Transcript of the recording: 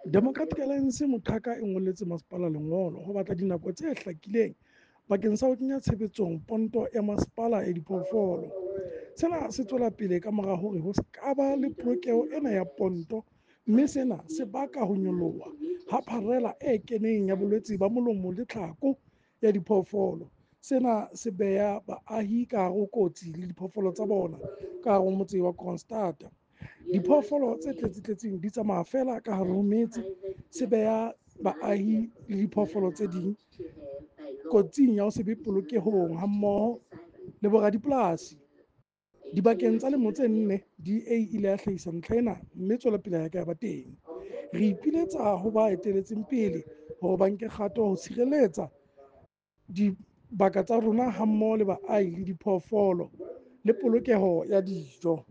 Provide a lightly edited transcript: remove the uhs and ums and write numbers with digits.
Democratic Alliance Moqhaka e ngolletse masepala lengolo ho batla dinako tse hlakileng bakeng sa ho kenya tshebetsong ponto ya masepala ya diphoofolo. Sena se tswela pele ka mora hore ho se ka ba le polokeho ena ya ponto, mme sena se baka ho nyoloha ha pharela e keneng ya bolwetse ba molomo le tlhako ya diphoofolo. Sena se beha baahi ka hare ho kotsi le diphoofolo tsa bona ka hare ho motse wa Kroonstad. Diphoofolo tse tletse-tletseng di tsamaya feela ka hare ho metse, se beha baahi le diphoofolo tse ding kotsing ya ho se be polokehong hammoho le boradipolasi. Dibakeng tsa lemo tse nne, DA e ile ya hlahisa ntlha ena mme tswelopele ha ya ka ya ba teng. Re ipiletsa ho ba etelletseng pele hore ba nke kgato ho tshireletsa dibaka tsa rona hammoho le baahi le diphoofolo le polokeho ya dijo.